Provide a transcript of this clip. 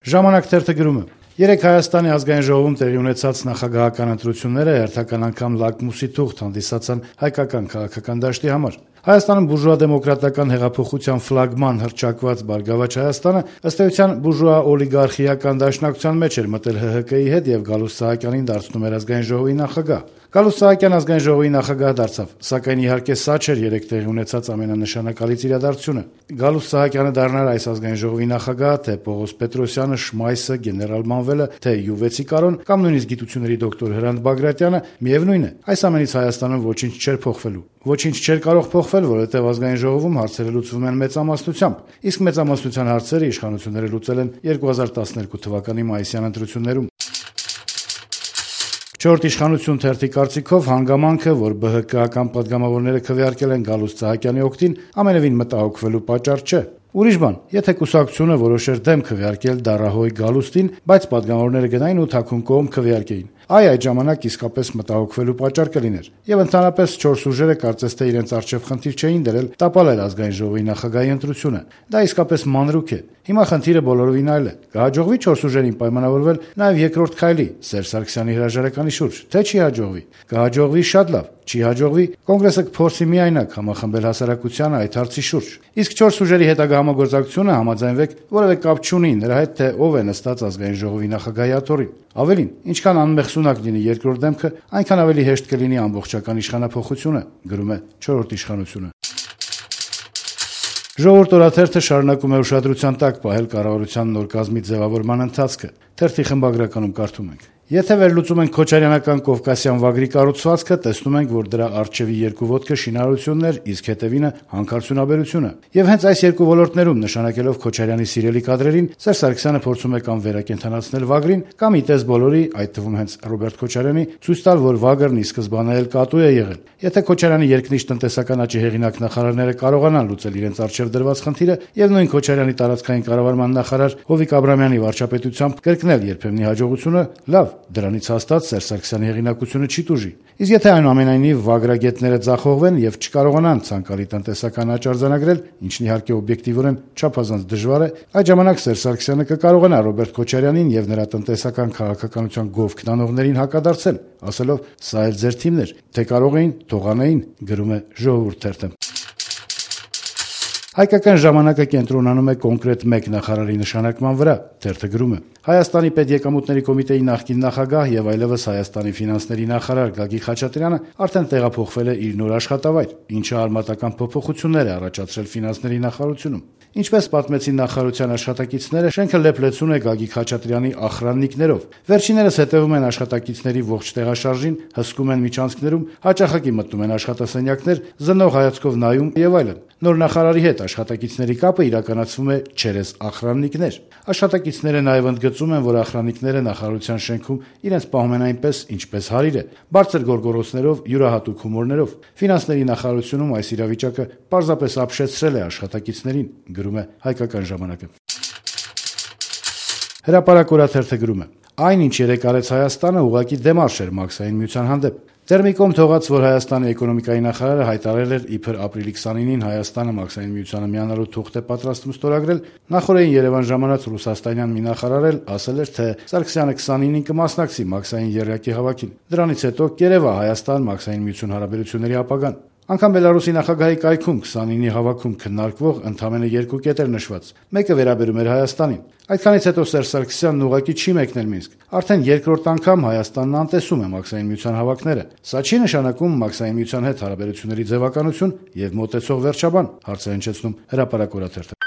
Ժամանակ թերթը գրում է. Երեկ Հայաստանի ազգային ժողովում տեղի ունեցած նախագահական ընտրությունները հերթական անգամ լակմուսի թուղթ հանդիսացան հայկական քաղաքական դաշտի համար։ Հայաստանում բուրժուա-դեմոկրատական հեղափոխության ֆլագման հռչակված «Բարգավաճ Հայաստանը» ըստ էության բուրժուա-օլիգարխիական դաշնակցության մեջ էր մտել ՀՀԿ-ի հետ եւ Գալուստ Սահակյանին դարձնում էր ազգային ժողովի նախագահ։ Գալուստ Սահակյան ազգային ժողովի նախագահ դարձավ, սակայն իհարկե սա չէր երեկ տեղի ունեցած ամենանշանակալից իրադարձությունը։ Գալուստ Սահակյանը դառնար այս ազգային ժողովի նախագահ, թե Պողոս Պետրոսյանը, Շմայսը, գեներալ Մանվելը, թե Յուվեցի Կարոն կամ նույնիսկ գիտությունների դոկտոր Հրանտ Բագրատյանը, միևնույն է, այս ամենից Հայաստանում ոչինչ չէր փոխվելու։ Ոչինչ չէր կարող փոխվել, որովհետև ազգային ժողովում հարցերը լուծվում են մեծամասնությամբ, իսկ մեծամասնության հարցերը իշխանությունները լուծել են 2012 թվականի մայիսյան ընտրություններում։ Չորրորդ իշխանություն թերթի կարծիքով հանգամանքը, որ ԲՀԿ-ական պատգամավորները քվեարկել են Գալուստ Սահակյանի օգտին, ամենևին մտահոգվելու պատճառ չէ։ Ուրիշ բան, եթե կուսակցությունը որոշեր դեմ քվեարկել Դարահոյ Գալուստին, բայց պատգամավորները գնային ու թաքուն կողմ քվեարկեին, այդ ժամանակ իսկապես մտահոգվելու պատճառ կլիներ։ Եվ ընդհանրապես 4 ուժերը կարծես թե իրենց առջև խնդիր չէին դրել տապալել ազգային ժողովի նախագահի ընտրությունը։ Դա իսկապես մանրուք է։ Հիմա խնդիրը բոլորովին այլ է։ Կհաջողվի 4 ուժերին պայմանավորվել նաև երկրորդ քայլի Սերժ Սարգսյանի հրաժարականի շուրջ, թե չի հաջողվի։ Կհաջողվի շատ լավ, չի հաջողվի, կոնգրեսը կփորձի միայնակ համախմբել հասարակությանը այդ հարցի շուրջ։ Իսկ 4 ուժերի հետագա համագործակցությունը, համաձայնվեք, որևէ կապ չունի նրա հետ, թե ով է նստած ազգային ժողովի նախագահի աթոռին։ Ավելին, ինչքան անմեղսունակ լինի երկրորդ դեմքը, այնքան ավելի հեշտ կլինի ամբողջական իշխանափոխությունը, գրում է Չորրորդ իշխանությունը։ Ժողովուրդ օրաթերթը շարունակում է ուշադրության տակ պահել կառավարության նոր կազմի ձևավորման ընթացքը։ Թերթի խմբագրականում կարդում ենք. Եթե վերլուծում ենք քոչարյանական կովկասյան վագրի կառուցվածքը, տեսնում ենք, որ դրա առջևի երկու ոտքը շինարարությունն էր, իսկ հետևինը հանքարդյունաբերությունը։ Եվ հենց այս երկու ոլորտներում նշանակելով Քոչարյանի սիրելի կադրերին, Սերժ Սարգսյանը փորձում է կամ վերակենդանացնել վագրին, կամ ի տես բոլորի, այդ թվում հենց Ռոբերտ Քոչարյանի, ցույց տալ, որ վագրն ի սկզբանե էլ կատու է եղել։ Եթե Քոչարյանի երկնիշ տնտեսական աճի հեղինակ նախարարները կարողանան լուծել իրենց առջև դրված խնդիրը եւ նույն Քոչարյանի տարածքային կառավարման նախարար Հովիկ Աբրամյանի վարչապետությամբ կրկնել երբեմնի հաջողությունը, լավ, դրանից հաստատ Սերժ Սարգսյանի հեղինակությունը չի տուժի։ Իսկ եթե այնուամենայնիվ վագրագետները ձախողվեն եւ չկարողանան ցանկալի տնտեսական աճ արձանագրել, ինչն իհարկե օբյեկտիվորեն չափազանց դժվար է, այդ ժամանակ Սերժ Սարգսյանը կկարողանա Ռոբերտ Քոչարյանին եւ նրա տնտեսական քաղաքականության գովք տանողներին հակադարձել, ասելով. «Սա էլ ձեր թիմն էր, թե կարող էին, թողանային», գրում է Ժողովուրդ թերթը։ Հայկական ժամանակը կենտրոնանում է կոնկրետ մեկ նախարարի նշանակման վրա, թերթը գրում է. Հայաստանի պետեկամուտների կոմիտեի նախկին նախագահ եւ այլևս Հայաստանի ֆինանսների նախարար Գագիկ Խաչատրյանը արդեն տեղափոխվել է իր նոր աշխատավայր, ինչը արմատական փոփոխություններ է առաջացրել ֆինանսների նախարարությունում։ Ինչպես պատմեցին նախարարության աշխատակիցները, շենքը լեփլեցուն է Գագիկ Խաչատրյանի ախրաննիկներով։ Վերջիններս հետևում են աշխատակիցների ողջ տեղաշարժին, հսկում են միջանցքներում, հաճախակի մտնում են աշխատասենյակներ, զննող հայացքով նայում եւ այլն։ Նոր նախարարի հետ աշխատակիցների կապը իրականացվում է չերես ախրաննիկներ։ Աշխատակիցները նաև ընդգծում են, որ ախրաննիկները նախարարության շենքում իրենց պահում են այնպես, ինչպես հարիր է, բարձր գորգորոցներով, յուրահատուկ հումորներով։ Ֆինանսների նախարարությունում այս իրավիճակը պարզապես ապշեցրել է աշխատակիցներին, գրում է Հայկական ժամանակը։ Հրապարակ օրաթերթը գրում է. Այն, ինչ երեկ արեց Հայաստանը, ուղղակի դեմարշ էր Մաքսային միության հանդեպ։ Տերմիկոմ թողած, որ Հայաստանի էկոնոմիկայի նախարարը հայտարարել էր իբր ապրիլի 29-ին Հայաստանը Մաքսային միությանը միանալու թուղթ է պատրաստում ստորագրել, նախորդին Երևան ժամանած ռուսաստանյան մի նախարար էլ ասել էր, թե Սարգսյանը 29-ին կմասնակցի Մաքսային եռյակի հավաքին։ Դրանից հետո կերևա Հայաստան Մաքսային միություն հարաբերությունների ապագան։ Անկամ Բելարուսի նախագահի կայքում 29-ի հավաքում քննարկվող ընդամենը 2 կետ էր նշված։ Մեկը վերաբերում էր Հայաստանին։ Այդքանից հետո Սերժ Սարգսյանն ուղղակի չի մեկնել Մինսկ։ Արդեն երկրորդ անգամ Հայաստանն անտեսում է Մաքսային միության հավաքները։ Սա չի նշանակում Մաքսային միության հետ հարաբերությունների ձևականություն եւ մոտեցող վերջաբան, հարցը հնչեցնում Հրապարակ օրաթերթը։